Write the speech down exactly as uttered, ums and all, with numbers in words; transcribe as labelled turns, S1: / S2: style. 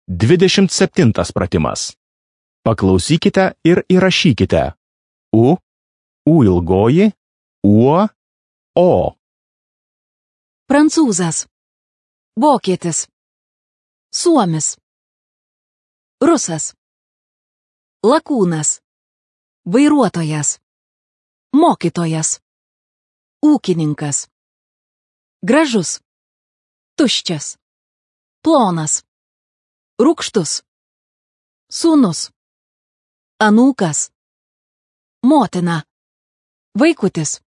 S1: dvidešimt septintas pratimas. Paklausykite ir įrašykite. U, U ilgoji, uo, o.
S2: Prancūzas. Vokietis. Suomis. Rusas. Lakūnas. Vairuotojas. Mokytojas. Ūkininkas. Gražus. Tuščias. Plonas. Rūgštus. Sūnus. Anūkas. Motina. Vaikutis.